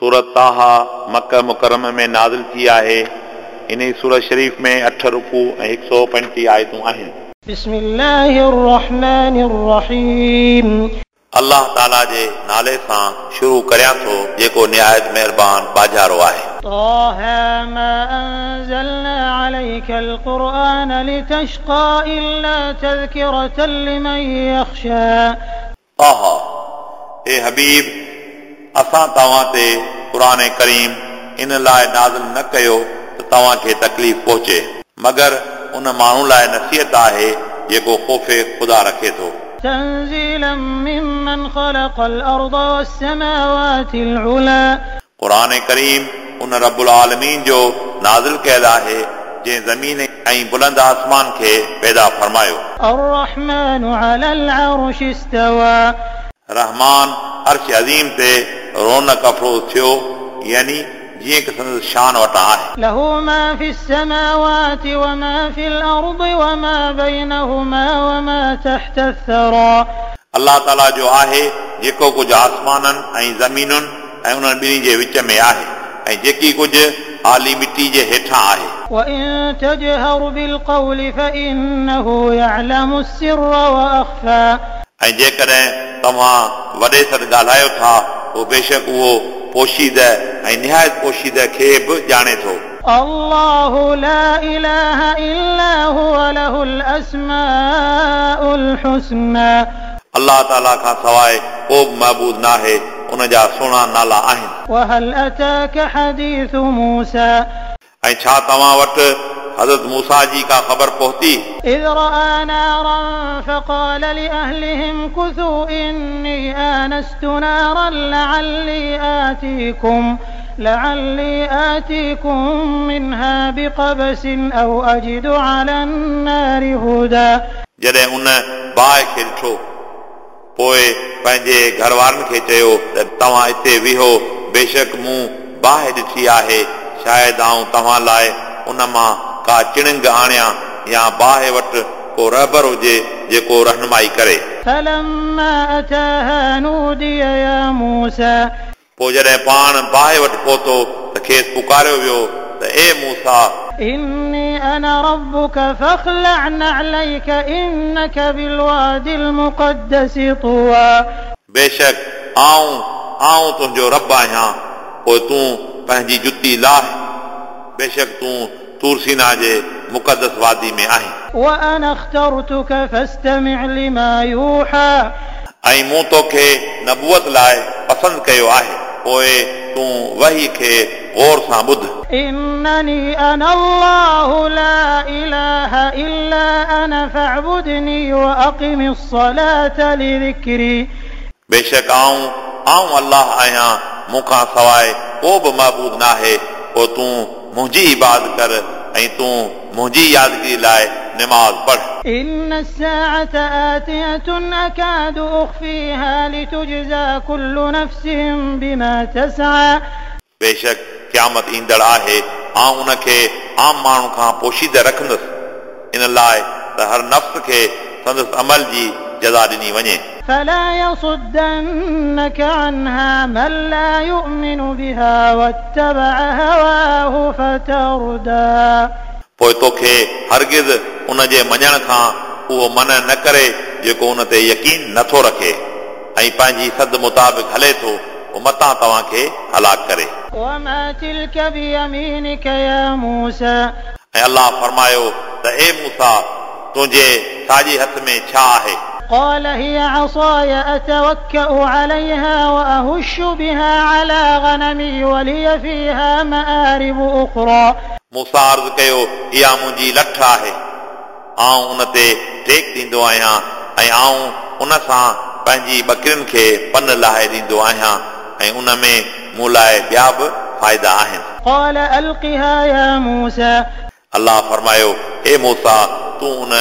सूरत ताहा मक्का मुकर्रम में नाज़िल थी आहे। इन सूरत शरीफ़ में 8 रुकू ऐं 135 आयतूं आहिनि। बिस्मिल्लाहिर रहमानिर रहीम। अल्लाह ताला जे नाले सां शुरू करियां थो जेको निहायत महिरबान बाजारो आहे। ताहा मा अंज़लना अलैकल कुरआन लितश्का इल्ला तज़किरतन लिमन यख्शा। ताहा ए हबीब, असां तव्हां ते कुरान करीम इन लाइ नाज़िल न कयो त तव्हां खे तकलीफ़ पहुचे, मगर उन माण्हू लाइ नसीहत आहे जेको ख़ौफ़ ख़ुदा रखे थो। तंज़ीलन मिम्मन ख़लक़ल अर्द वस्समावातिल उला। कुरान करीम उन रब्बुल आलमीन जो नाज़िल कयल आहे जंहिं ज़मीन ऐं बुलंद आसमान खे पैदा फरमायो। अर्रहमान अलल अर्श इस्तवा। रहमान अर्श अज़ीम ते रौनक अफ़रोज़ थियो, यानी जीअं की संदसि शान वटां आहे। लहू मा फ़िस समावाति व मा फ़िल अर्द व मा बैनहुमा व मा तहत अस-सरा। अल्लाह ताला जो आहे जेको कुझु आसमाननि ऐं ज़मीनुनि ऐं उन्हनि ॿिन्ही जे विच में आहे ऐं जेकी कुझु आली मिटी जे हेठां आहे। व इन तजहर बिलक़ौल फ़इन्नहु यअलमु अस्सिर्र व अख़फ़ा। ऐं जेकॾहिं तव्हां वॾे सॾ ॻाल्हायो था पोइ बेशक उहो पोशीद ऐं निहायत पोशीद खे बि ॼाणे थो। अल्लाहु ला इलाहा इल्ला हुवा लहुल अस्माउल हुस्ना। अल्लाह ताला खां सवाइ को बि महबूद नाहे, उन जा सुहिणा नाला आहिनि। वहल अताक हदीसु मूसा। ऐं छा तव्हां वटि हज़रत मूसा जी का ख़बर पहुती? इज़ रआ नारन फ़क़ाल लिअहलिहिम कुथू इन्नी आनस्तु नारन लअल्ली आतीकुम मिन्हा बिक़बसिन औ अजिदु अलन नारि हुदा। जॾहिं उन बाहि खे ॾिठो पोइ पंहिंजे घर वारनि खे चयो त तव्हां हिते वेहो, बेशक मूं बाहि ॾिठी आहे, शायदि आउं तव्हां लाइ उन मां का चिणंग आणियां या बाहि वटि को रहबर हुजे जेको रहनुमाई करे। फलम्मा अताहा नूदिय या मूसा। पोइ जॾहिं पाण बाहि वटि पहुतो त खेसि पुकारियो वियो त ए मूसा, इन्नी अना रब्बुक फखलअ नअलैक इन्नक बिलवादिल मुक़द्दस तुवा। बेशक आऊं आऊं तुंहिंजो रब आहियां, पोइ तूं पंहिंजी जुती लाह, बेशक तूं तूरसीना जे मुक़दस वादी में आहीं। व अना अख्तरतुक फस्तमिअ लिमा यूहा। ऐं मूं तोखे नबूअत लाइ पसंदि कयो आहे, पोइ तूं वही खे गौर सां ॿुध। इन्ननी अना अल्लाहु ला इलाहा इल्ला अना फअबुदनी व अक़िमिस सलात लिज़िक्री। बेशक आऊं आऊं अल्लाह आहियां, मूंखां सवाइ को बि महबूद नाहे, पोइ तूं मुंहिंजी इबादत कर ऐं तूं मुंहिंजी यादगिरी लाइ नमाज़ पढ़। इन्न अस्साअत आतियतुन अकादु उख़फ़ीहा लितुजज़ा कुल्लु नफ़्सिन बिमा तसआ। बेशक क़यामत ईंदड़ आहे, आउं उनखे आम माण्हू खां पोशीदा रखंदुसि, इन लाइ त हर नफ़्स खे संदसि अमल जी जज़ा ॾिनी वञे। फला यसुद्दन्नक अन्हा मन ला युमिनु बिहा वत्तबअ हवाहु फतरदा। पोइ तोखे हरगिज़ उन जे मञण खां उहो मन न करे जेको उन ते यकीन नथो रखे ऐं पंहिंजी सद मुताबिक़ हले थो, उहो मतां तव्हांखे हलाक करे। वमा तिलक बियमीनिक या मूसा। ऐं अल्लाह फरमायो त ए मूसा, तुंहिंजे साॼे हथ में छा आहे? قال هي عصاي أتوكأ عليها وأهش بها على غنمي ولي فيها مآرب أخرى। मूसा अर्ज़ कयो, इहा मुंहिंजी लठ आहे, आउं उन ते टेक ॾींदो आहियां ऐं आउं उन सां पंहिंजी बकरियुनि खे पन लाहे ॾींदो आहियां ऐं उन में मूं लाइ ॿिया बि फ़ाइदा आहिनि। قال ألقها يا موسى। अल्लाह फरमायो, ए मूसा, तूं उन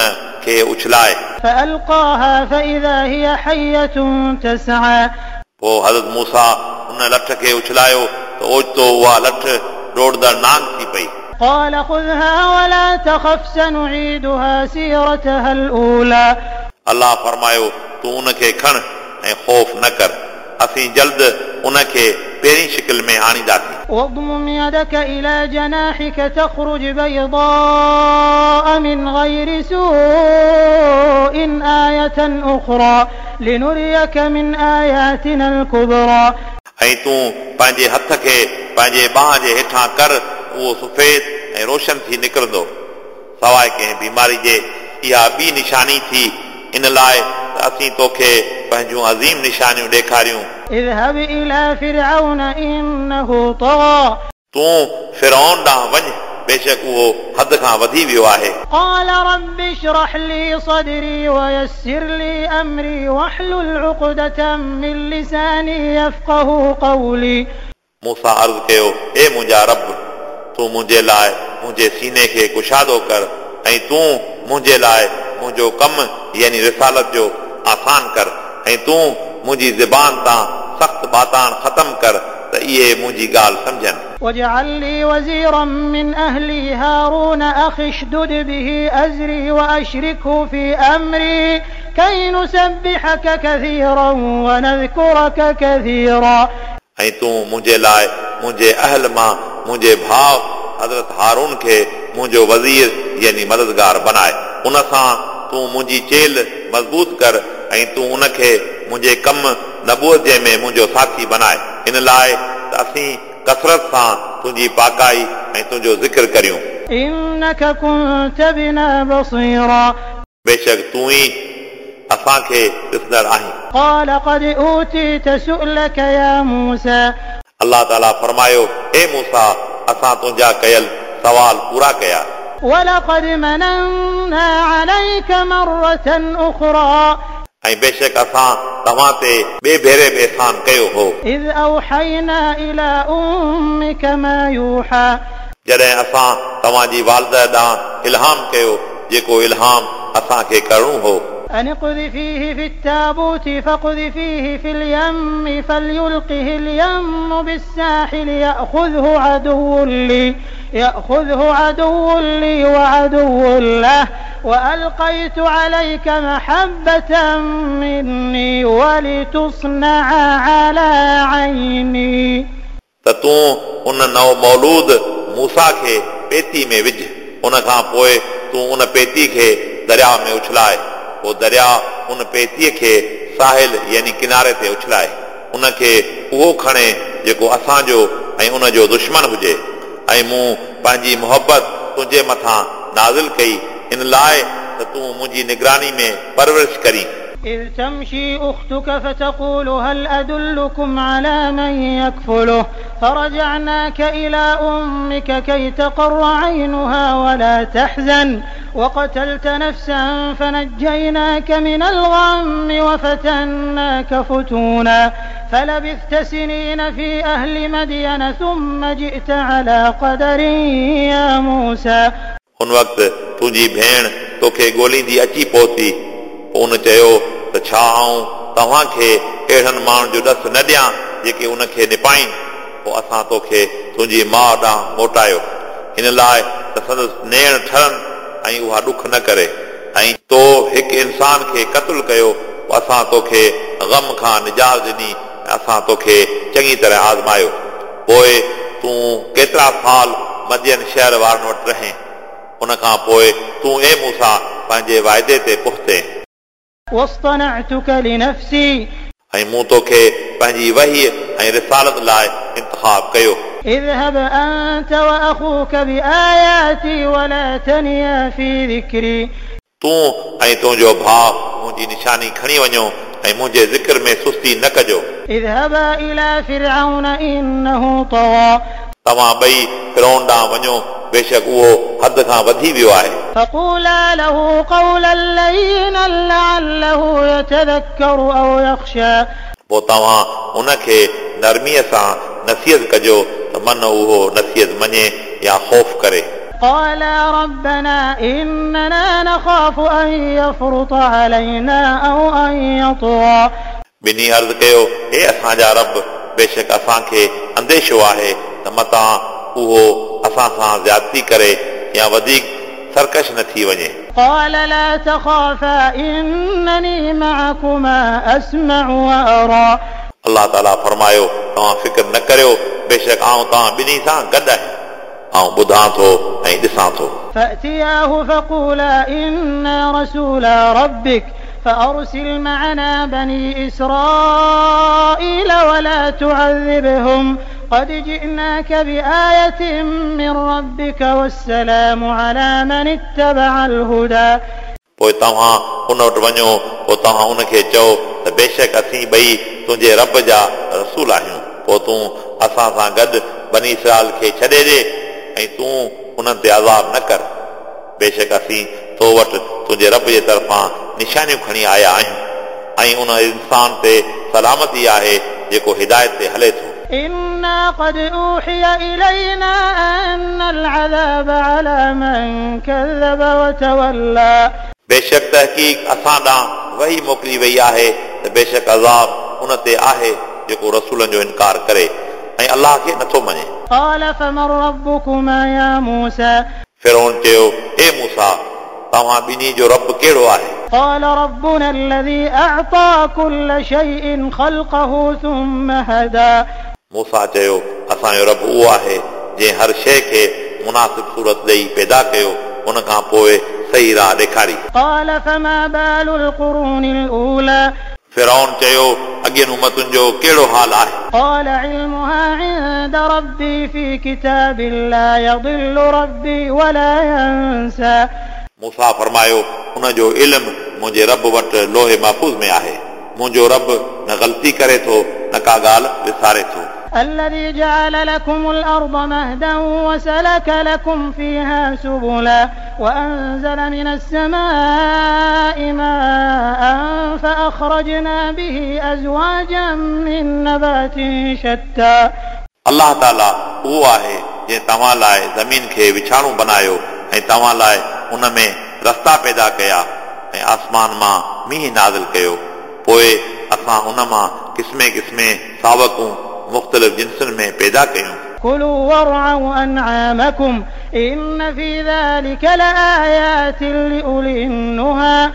खे उछलाए। فألقاها فإذا هي حية تسعى। पोइ हज़रत मूसा उन लठ खे उछलायो त ओचितो उहा लठ दौड़ंदड़ नांग थी पई। قال خذها ولا تخف سنعيدها سيرتها الأولى। अल्लाह फरमायो, तूं उनखे खण ऐं ख़ौफ़ न कर, असीं जल्द उनखे पहिरीं शकिल में आणींदासीं। واضمم يدك إلى جناحك تخرج بيضاء من غير سوء آية أخرى لنريك من آياتنا الكبرى। ऐं तूं पंहिंजे हथ खे पंहिंजे ॿांह जे हेठां कर, उहो सफ़ेद ऐं रोशन थी निकिरंदो, सवाइ कंहिं बीमारी जे। इहा ॿी निशानी थी इन लाइ त असीं तोखे पंहिंजूं अज़ीम निशानियूं ॾेखारियूं। اذهب إلى فرعون إنه طغى। तूं फिरौन ॾांहुं वञ, बेशक उहो हद खां वधी वियो आहे। قال رب اشرح لي صدري ويسر لي أمري واحلل عقدة من لساني يفقه قولي। मूसा अर्ज़ कयो, ए मुंहिंजा रब, तूं मुंहिंजे लाइ मुंहिंजे सीने खे कुशादो कर ऐं तूं मुंहिंजे लाइ मुंहिंजो कमु यानी रिसालत जो आसान कर ऐं तूं मुंहिंजी ज़बान तां सख़्तु बाताण ख़तमु कर त इहे मुंहिंजी ॻाल्हि सम्झनि। واجعل لي وزيرا من أهلي هارون أخي اشدد به أزري وأشركه في أمري كي نسبحك كثيرا ونذكرك كثيرا। ऐं तूं मुंहिंजे लाइ मुंहिंजे अहल मां मुंहिंजे भाउ हज़रत हारून खे मुंहिंजो वज़ीर यानी मददगार बनाए। उन सां तूं मुंहिंजी चेल मज़बूत कर ऐं तूं उनखे मुंहिंजे कमु नबूअत जे में मुंहिंजो साथी बनाए, इन लाइ त असीं कसरत सां तुंहिंजी पाकाई ऐं तुंहिंजो ज़िक्र करियूं। إنك كنت بنا بصيرا। बेशक तूं ई असांखे ॾिसंदड़ आहीं। قال قد أوتيت سؤلك يا موسى। अलाह ताला फरमायो, ए मूसा, असां तुंहिंजा कयल सवाल पूरा कया। ولقد مننا عليك مرة أخرى। ऐं बेशक असां तव्हां ते ॿिए भेरे बि एहसान कयो हो। إذ أوحينا إلى أمك ما يوحى। जॾहिं असां तव्हांजी वालिदा ॾांहुं इल्हाम कयो जेको इल्हाम असांखे करिणो हो। أن اقذفيه في التابوت فاقذفيه في اليم فليلقه اليم بالساحل يأخذه عدو لي وعدو له وألقيت عليك محبة مني ولتصنع على عيني। त तूं उन नव मौलूद मूसा खे पेती में विझ, उन खां पोइ तूं उन पेती खे दरिया में उछलाए, पोइ दरिया उन पेतीअ खे साहिल यानी किनारे ते उछलाए, उनखे उहो खणे जेको असांजो ऐं उनजो दुश्मन हुजे। ऐं मूं पंहिंजी मोहबत तुंहिंजे मथां नाज़िल कई इन लाइ त तूं मुंहिंजी निगरानी में परवरिश करीं। إذ تمشي أختك فتقول هل أدلكم على من يكفله فرجعناك إلى أمك كي تقر عينها ولا تحزن وقتلت نفسا فنجيناك من الغم وفتناك فتونا فلبثت سنين في أهل مدين ثم جئت على قدر يا موسى। हुन वक़्तु तुंहिंजी भेण तोखे ॻोल्हींदी अची पहुती, पोइ उन चयो त छा आउं तव्हांखे अहिड़नि माण्हुनि जो ॾस न ॾियां जेके उनखे निपाइनि? पोइ असां तोखे तुंहिंजी माउ ॾांहुं मोटायो इन लाइ त संदसि नेण ठरनि ऐं उहा ॾुख न करे, ऐं तो हिकु इंसान खे क़तलु कयो, पोइ असां तोखे ग़म खां निजात ॾिनी ऐं असां तोखे चङी तरह आज़मायो। पोइ तूं केतिरा साल मदियन शहर वारनि वटि रहें, उन खां पोइ तूं ए मूसा पंहिंजे वाइदे ते पहुते। واصطنعتك لنفسي। ऐं मूं तोखे पंहिंजी वही ऐं रिसालत लाइ इंतिखाब कयो। اذهب أنت وأخوك بآياتي ولا تنيا في ذكري। तूं ऐं तुंहिंजो भाउ मुंहिंजी निशानी खणी वञो ऐं मुंहिंजे ज़िक्र में सुस्ती न कजो। اذهبا إلى فرعون إنه طغى। तव्हां ॿई फिरौन ॾांहुं वञो, बेशक उहो हद खां वधी वियो आहे। فقولا له قولا لينا لعله يتذكر أو يخشى। पोइ तव्हां उनखे नरमीअ सां नसीहत कजो त मन उहो नसीहत मञे या ख़ौफ़ करे। قالا ربنا إننا نخاف أن يفرط علينا أو أن يطغى। ॿिन्ही अर्ज़ कयो, हे असांजा रब, बेशक असांखे अंदेशो आहे त मतां उहो असां सां ज़्यादती करे या वधीक सरकश न थी वञे। قال لا تخافا إنني معكما أسمع وأرى। अलाह ताला फरमायो, तव्हां फ़िक्र न करियो, बेशक आउं तव्हां ॿिन्ही सां गॾु आहियां, आउं ॿुधां थो ऐं ॾिसां थो। فأتياه فقولا إنا رسولا ربك فأرسل معنا بني إسرائيل ولا تعذبهم قد جئناك بآية من ربك والسلام على من اتبع الهدى. पोइ तव्हां उन वटि वञो, पोइ तव्हां उनखे चओ त बेशक असीं ॿई तुंहिंजे रब जा रसूल आहियूं, पोइ तूं असां सां गॾु बनी इसराइल खे छॾे ॾे ऐं तूं उन्हनि ते अज़ाब न कर, बेशक असीं तो वटि तुंहिंजे रब जे तरफ़ां निशानियूं खणी आया आहियूं ऐं उन इंसान ते सलामती आहे जेको हिदायत ते हले थो। إنا قد أوحي إلينا أن العذاب على من كذب وتولى. बेशक तहक़ीक़ असां ॾांहुं वही मोकिली वई आहे त बेशक अज़ाब उन ते आहे जेको रसूलनि जो इनकार करे ऐं अलाह खे नथो मञे। قال فمن ربكما يا موسى؟ फिरौन चयो, ए मूसा, तव्हां ॿिन्ही जो रब कहिड़ो आहे? قال ربنا الذي أعطى كل شيء خلقه ثم هدى. मूसा चयो, असांजो रब उहो आहे जंहिं हर शइ खे मुनासिब सूरत ॾेई पैदा कयो, उन खां पोइ सही राह ॾेखारी। قال فما بال القرون الأولى؟ फिरौन चयो, अॻियनि उमतुनि जो कहिड़ो हाल आहे? قال علمها عند ربي في كتاب لا يضل ربي ولا ينسى. मूसा फरमायो, उन जो इल्मु मुंहिंजे रब वटि लोहे महफ़ूज़ में आहे, मुंहिंजो रब न ग़लती करे थो न का ॻाल्हि विसारे थो। الذي جعل لكم الأرض مهدا وسلك لكم فيها سبلا وأنزل من السماء ماء فأخرجنا به أزواجا من نبات شتى. अलाह ताला उहो आहे जंहिं तव्हां लाइ ज़मीन खे विछाणो बनायो ऐं तव्हां लाइ उन में रस्ता पैदा कया ऐं आसमान मां मींहुं नाज़िल कयो, पोइ असां उन मां क़िस्मे क़िस्मे सावकूं मुख़्तलिफ़ जिन्सुनि में पैदा कयूं। كلوا وارعوا أنعامكم إن في ذلك لآيات لأولي النهى.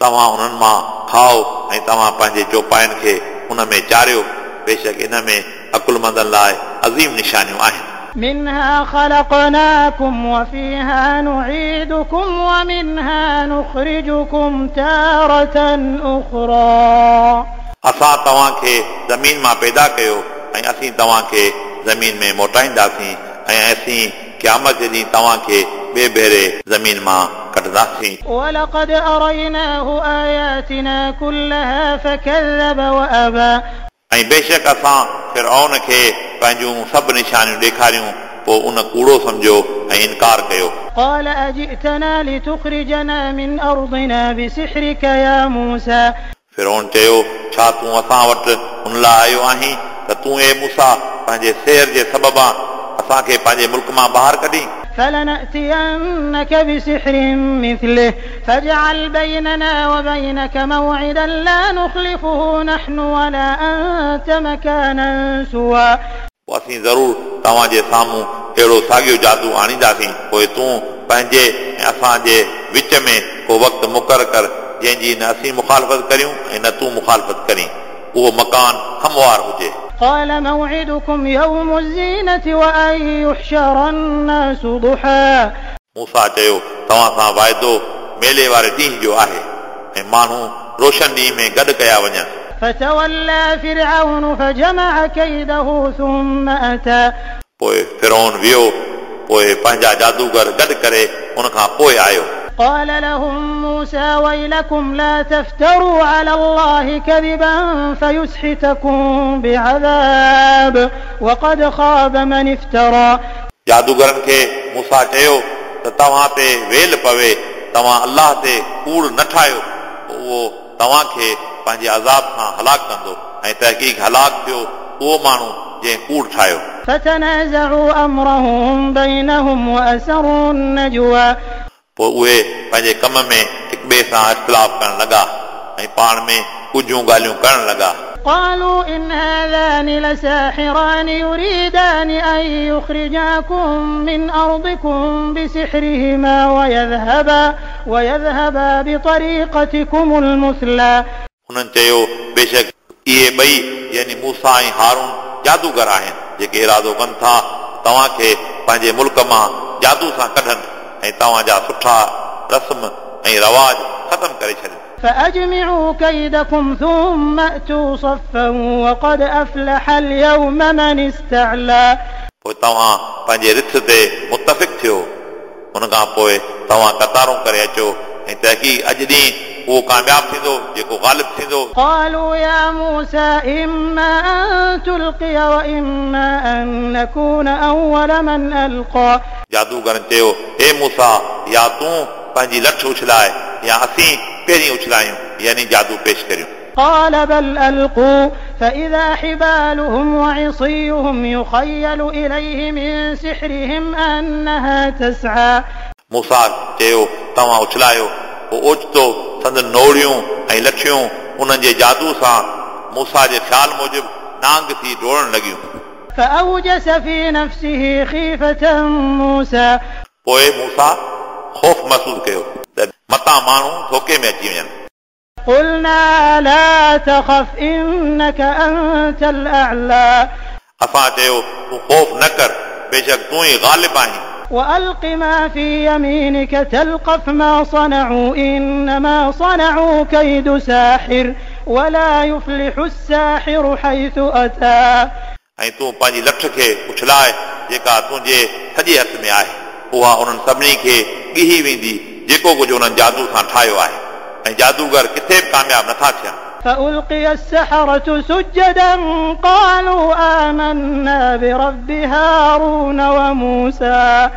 तव्हां उन्हनि मां खाओ ऐं तव्हां पंहिंजे चौपाइनि खे उन में चारियो, बेशक इन में अक़ुलमंदनि लाइ अज़ीम निशानियूं आहिनि। منها خلقناكم وفيها نعيدكم ومنها نخرجكم تارة أخرى. असां तव्हांखे ज़मीन मां पैदा कयो ऐं असीं तव्हांखे ज़मीन में मोटाईंदासीं ऐं असीं क़यामत जे ॾींहुं तव्हांखे ॿिए भेरे ज़मीन मां कढंदासीं। ولقد أريناه آياتنا كلها فكذب وأبى. ऐं बेशक असां फिरौन खे पंहिंजूं सभु निशानियूं ॾेखारियूं, पोइ उन कूड़ो सम्झो ऐं इनकार कयो। قال أجئتنا لتخرجنا من أرضنا بسحرك يا موسى؟ फिरौन चयो, छा तूं असां वटि उन लाइ आयो आहीं त तूं ए मूसा पंहिंजे सेर जे सबबां असांखे पंहिंजे मुल्क मां ॿाहिरि कढी? فلنأتينك بسحر مثله فاجعل بيننا وبينك موعدا لا نخلفه نحن ولا أنت مكانا سوى. पोइ असीं ज़रूरु तव्हांजे साम्हूं अहिड़ो साॻियो जादू आणींदासीं, पोइ तूं पंहिंजे ऐं असांजे विच में को वक़्तु मुक़ररु कर जंहिंजी न असीं मुखालफ़त करियूं ऐं न तूं मुखालफ़त करीं, उहो मकान हमवार हुजे। قال موعدكم يوم الزينة وأن يحشر الناس ضحى. मूसा चयो, तव्हां सां वाइदो मेले वारे ॾींहुं जो आहे ऐं माण्हू रोशन ॾींहं में गॾु कया वञनि। فتولى فرعون فجمع كيده ثم أتى. पोइ फिरौन वियो, पोइ पंहिंजा जादूगर गॾु करे उन खां पोइ आयो। قال لهم موسى ويلكم لا تفتروا على الله كذبا فيسحتكم بعذاب وقد خاب من افترى. जादूगरनि खे मूसा चयो त तव्हां ते वेल पवे, तव्हां अलाह ते कूड़ न ठाहियो, पोइ उहो तव्हांखे पंहिंजे अज़ाब सां हलाक कंदो ऐं तहक़ीक़ हलाक थियो उहो माण्हू जंहिं कूड़ ठाहियो। فتنازعوا أمرهم بينهم وأسروا النجوى. पोइ उहे पंहिंजे कम में हिक ॿिए सां इख़्तिलाफ़ करण लॻा ऐं पाण में ॻुझियूं ॻाल्हियूं करण लॻा। قالوا إن هذان لساحران يريدان أن يخرجاكم من أرضكم بسحرهما ويذهبا بطريقتكم المثلى. उन्हनि चयो, बेशक इहे ॿई यानी मूसा ऐं हारून जादूगर आहिनि जेके इरादो कनि था तव्हांखे पंहिंजे मुल्क मां जादू सां कढनि ऐं तव्हांजा सुठा रस्म ऐं रवाज ख़तमु करे छॾनि। فأجمعوا كيدكم ثم أتوا صفا وقد أفلح اليوم من استعلى। पोइ तव्हां पंहिंजे रिथ ते मुतफ़िक़ थियो, उन खां पोइ तव्हां कतारूं करे अचो ऐं तहक़ीक़ अॼु ॾींहुं उहो कामयाब थींदो जेको ग़ालिब थींदो। قالوا يا موسى إما أن تلقي وإما أن نكون أول من ألقى। जादूगरनि चयो, हे मूसा, या तूं पंहिंजी लठ उछलाए या असीं पहिरीं उछलायूं, यानी जादू पेश करियूं। قال بل ألقوا فإذا حبالهم وعصيهم يخيل إليه من سحرهم أنها تسعى। मूसा चयो, तव्हां उछलायो। पोइ ओचितो संदन नोड़ियूं ऐं लठियूं उन्हनि जे जादू सां मूसा जे ख़्याल मूजिबि नांग थी डोड़णु लॻियूं। فأوجس في نفسه خيفة موسى। पोइ मूसा ख़ौफ़ महसूसु कयो त मतां माण्हू धोखे में अची वञनि। قلنا لا تخف إنك أنت الأعلى। असां चयो, तूं ख़ौफ़ न कर, बेशक तूं ई ग़ालिब आहीं। وألق ما في يمينك تلقف ما صنعوا إنما صنعوا كيد ساحر ولا يفلح الساحر حيث أتى। ऐं तूं पंहिंजी लठ खे उछलाए जेका तुंहिंजे सॼे हथ में आहे, उहा उन्हनि सभिनी खे ॻिही वेंदी जेको कुझु उन्हनि जादू सां ठाहियो आहे, ऐं जादूगर किथे बि कामयाब नथा थियनि। فألقي السحرة سجدا قالوا آمنا برب هارون وموسى।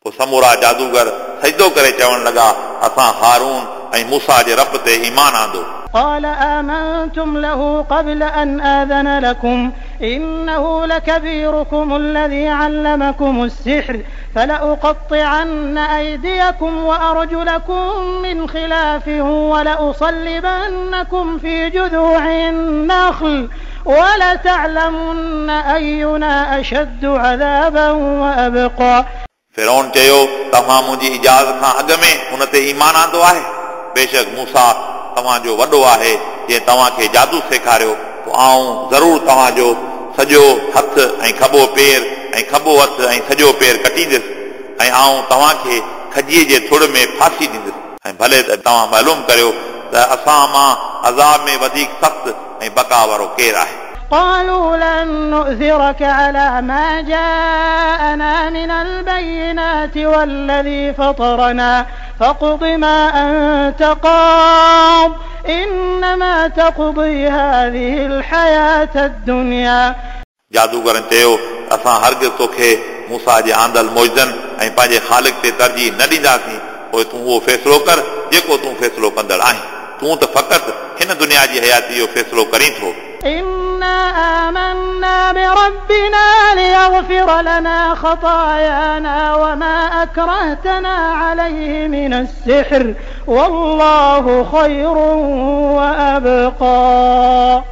पोइ समूरा जादूगर सजदो करे चवणु लॻा, असां हारून ऐं मूसा जे रब ते ईमान आंदो। قال آمنتم له قبل أن آذن لكم إنه لكبيركم الذي علمكم السحر فلأقطعن أيديكم وأرجلكم من خلاف ولأصلبنكم في جذوع النخل ولتعلمن أينا أشد عذابا وأبقى। फिरौन चयो, तव्हां मुंहिंजी इजाज़त खां अॻु में उन ते ईमान आंदो आहे? बेशक मूसा तव्हांजो वॾो आहे जंहिं तव्हांखे जादू सेखारियो, पोइ आउं ज़रूरु तव्हांजो सॼो हथु ऐं खॿो पेर ऐं खॿो हथु ऐं सॼो पेर कटींदुसि ऐं आउं तव्हांखे खजीअ जे थुड़ में फांसी ॾींदुसि, ऐं भले त तव्हां मालूम करियो त असां मां अज़ाब में वधीक सख़्तु ऐं बका वारो केरु आहे। قالوا لن نؤثرك على ما جاءنا من البينات والذي فطرنا فاقض ما أنت قاض إنما تقضي هذه الحياة الدنيا। जादूगरनि चयो, असां हरगिज़ तोखे मूसा जे आंदल मौजनि ऐं पंहिंजे ख़ालिक ते तरजीह न ॾींदासीं, पोइ तूं उहो फ़ैसिलो कर जेको तूं फ़ैसिलो कंदड़ आहीं, तूं त फ़क़ति हिन दुनिया जी हयाती जो फ़ैसिलो करीं थो। إنا آمنا بربنا ليغفر لنا خطايانا وما أكرهتنا عليه من السحر والله خير وأبقى।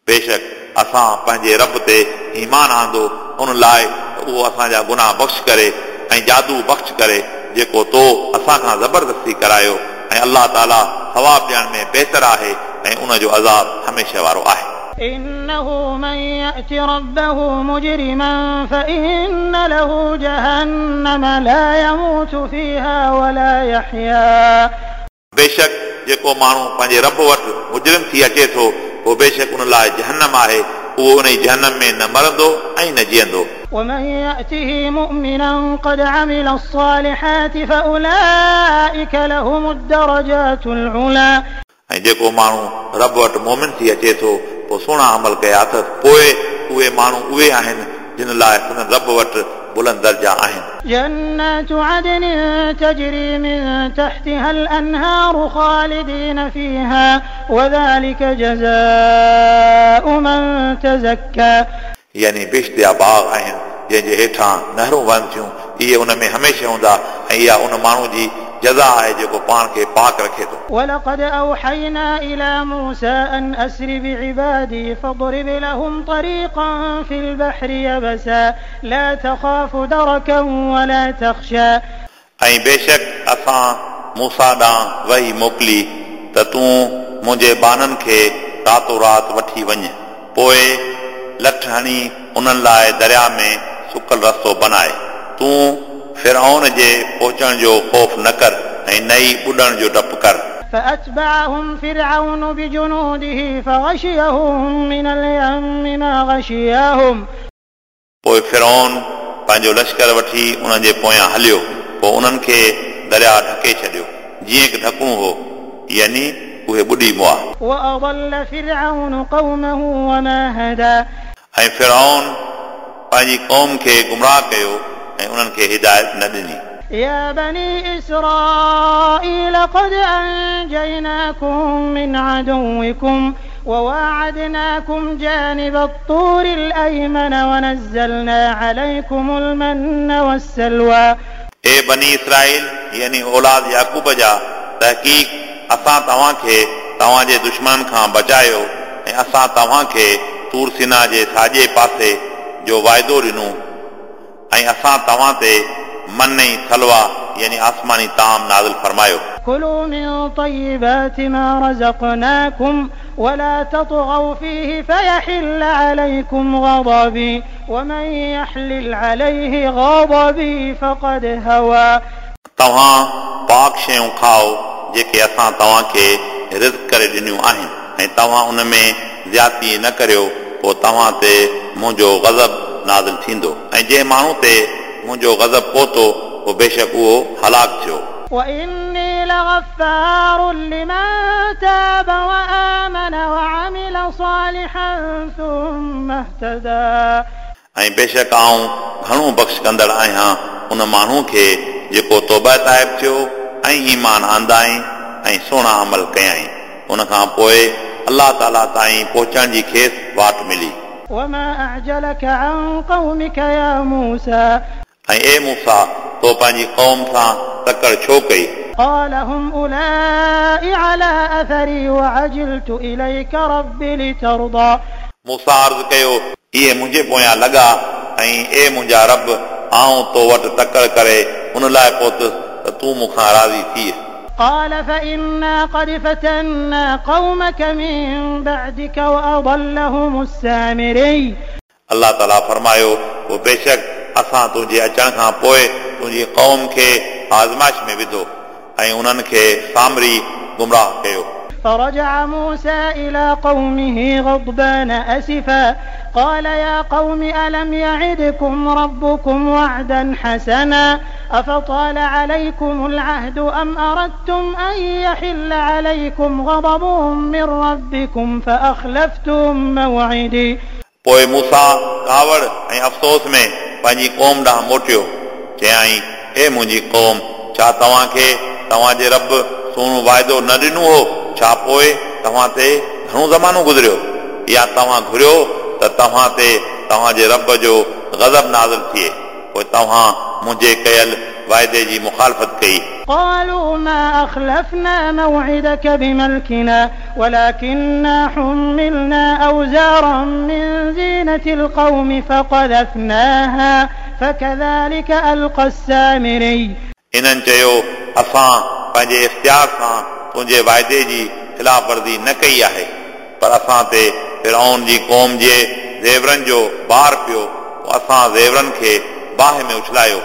बेशक असां पंहिंजे रब ते ईमान आंदो उन लाइ उहो असांजा गुनाह बख़्श करे ऐं जादू बख़्श करे जेको तो असां खां ज़बरदस्ती करायो, ऐं अलाह ताला सवाब ॾियण में बहितर आहे ऐं उन जो अज़ाब हमेशह वारो आहे। إنه من يأت ربه مجرما فإن له جهنم لا يموت فيها ولا يحيا। बेशक जेको माण्हू पंहिंजे रब वटि मुजरिम थी अचे थो, पोइ बेशक उन लाइ जहन्नम आहे, उहो उन जहन्नम में न मरंदो ऐं न जीअंदो। ومن يأته مؤمنا قد عمل الصالحات فأولئك لهم الدرجات العلى। ऐं जेको माण्हू रब वटि मोमिन थी अचे थो, पोइ सुहिणा अमल कया अथसि, पोइ उहे माण्हू उहे आहिनि जिन लाइ संदन रब वटि बुलंद दर्जा आहिनि। جنات عدن تجري من تحتها الأنهار خالدين فيها وذلك جزاء من تزكى। यानी बेश्त जा बाग़ आहिनि जंहिंजे हेठां नहरूं वहनि थियूं, इहे उन में हमेशह हूंदा ऐं इहा उन माण्हू जी जज़ा आहे जेको पाण खे पाक रखे थो। ولقد أوحينا إلى موسى أن أسر بعبادي فاضرب لهم طريقا في البحر يبسا لا تخاف دركا ولا تخشى। ऐं बेशक असां मूसा ॾांहुं वही मोकिली त तूं मुंहिंजे बाननि खे रातो राति वठी वञ, पोइ लठ हणी उन्हनि लाइ दरिया में सुकल रस्तो बनाए। तूं फिरऔन जे पहुचण जो ख़ौफ़ न कर ऐं न ई ॿुॾण जो डपु कर। فأتبعهم فرعون بجنوده فغشيهم من اليم ما غشيهم। पोइ फिरऔन पंहिंजो लश्कर वठी उन्हनि जे पोयां हलियो, पोइ उन्हनि खे दरिया ढके छॾियो जीअं की ढकणो हो, यानी उहे ॿुॾी मुआ। وأضل فرعون قومه وما هدى। ऐं फिरऔन पंहिंजी क़ौम खे गुमराह कयो ऐं उन्हनि खे हिदायत न ॾिनी। يا بني إسرائيل قد أنجيناكم من عدوكم وواعدناكم جانب الطور الأيمن ونزلنا عليكم المن والسلوى। ए बनी इसराईल यानी औलाद याकूब जा, तहक़ीक़ असां तव्हांखे तव्हांजे दुश्मननि खां बचायो ऐं असां तव्हांखे तूर सिना जे साॼे पासे जो वाइदो ॾिनो ऐं असां तव्हां ते मन ऐं सलवा यानी आसमानी ताम नाज़िल फरमायो। كلوا من طيبات ما رزقناكم ولا تطغوا فيه فيحل عليكم غضبي ومن يحلل عليه غضبي فقد هوى। तव्हां पाक शयूं खाओ जेके असां तव्हांखे रिज़्क करे ॾिनियूं आहिनि ऐं तव्हां उन में ज़्यादती न करियो, पोइ तव्हां ते मुंहिंजो गज़ब नाज़िल थींदो ऐं जंहिं माण्हू ते मुंहिंजो गज़ब पहुतो पोइ बेशक उहो हलाक थियो। وإني لغفار لمن تاب وآمن وعمل صالحا ثم اهتدى। ऐं बेशक आउं घणो बख़्श कंदड़ आहियां उन माण्हू खे जेको तौबा ताइब थियो ऐं ईमान आंदाई ऐं सुहिणा अमल कयाई, उन खां पोइ अलाह ताला ताईं पहुचण जी खेसि वाट मिली। وما أعجلك عن قومك يا موسى। ऐं ए मूसा, तो पंहिंजी क़ौम सां तकड़ छो कई? قال هم أولئك على أثري وعجلت إليك رب لترضى। मूसा अर्ज़ कयो, इहे मुंहिंजे पोयां लॻा ऐं ए मुंहिंजा रब, आउं तो वटि तकड़ करे उन लाइ पहुतुसि त तूं मूंखां राज़ी थी। قال فإنا قد فتنا قومك من بعدك وأضلهم السامري। अलाह ताला फरमायो, पोइ बेशक असां तुंहिंजे अचण खां पोइ तुंहिंजी क़ौम खे आज़माइश में विधो ऐं उन्हनि खे सामरी गुमराह कयो। فرجع موسى إلى قومه غضبان أسفا قال يا قوم ألم يعدكم ربكم وعدا حسنا أفطال عليكم العهد أم أردتم أن يحل عليكم غضب من ربكم فأخلفتم موعدي। पोइ मूसा कावड़ ऐं अफ़सोस में पंहिंजी क़ौम ॾांहुं मोटियो। चयाईं, ए मुंहिंजी क़ौम, छा तव्हांखे तव्हांजे रब सुहिणो वाइदो न ॾिनो हो? छा पोइ तव्हां ते घणो ज़मानो गुज़रियो? या तव्हां घुरियो त तव्हां ते तव्हांजे रब जो गज़ब नाज़िल थिए, पोइ तव्हां मुंहिंजे कयल वाइदे जी मुखालफ़त कई। قالوا ما أخلفنا موعدك بملكنا ولكننا حملنا أوزارا من زينة القوم فقذفناها فكذلك ألقى السامري। इन्हनि चयो, असां पंहिंजे इख़्तियार सां तुंहिंजे वाइदे जी ख़िलाफ़ वर्ज़ी न कई आहे, पर असां ते फिरऔन जी क़ौम जे ज़ेवरनि जो बार पियो, पोइ असां ज़ेवरनि खे बाहि में उछलायो,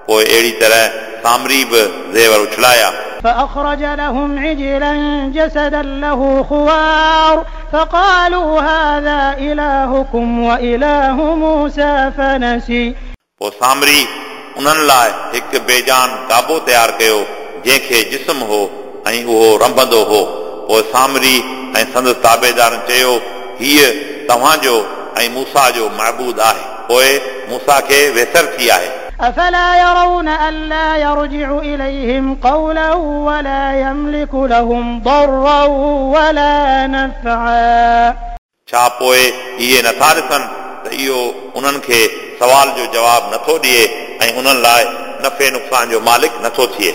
पोइ अहिड़ी तरह सामरी बि ज़ेवर उछलाया। فأخرج لهم عجلا جسدا له خوار فقالوا هذا إلهكم وإله موسى فنسي। पोइ सामरी उन्हनि लाइ हिकु बेजान गाबो तयारु कयो जंहिंखे जिस्म हो ऐं उहो रंभंदो हो। पोइ सामरी ऐं संदसि ताबेदारनि चयो, हीअ तव्हांजो ऐं मूसा जो महबूद आहे। पोइ मूसा खे वेसर थी आहे। أفلا يرون ألا يرجع إليهم قولا ولا يملك لهم ضرا ولا نفعا। छा पोइ इहे नथा ॾिसनि त इहो उन्हनि खे सवाल जो जवाबु नथो ॾिए ऐं उन्हनि लाइ नफ़े नुक़सान जो मालिक नथो थिए।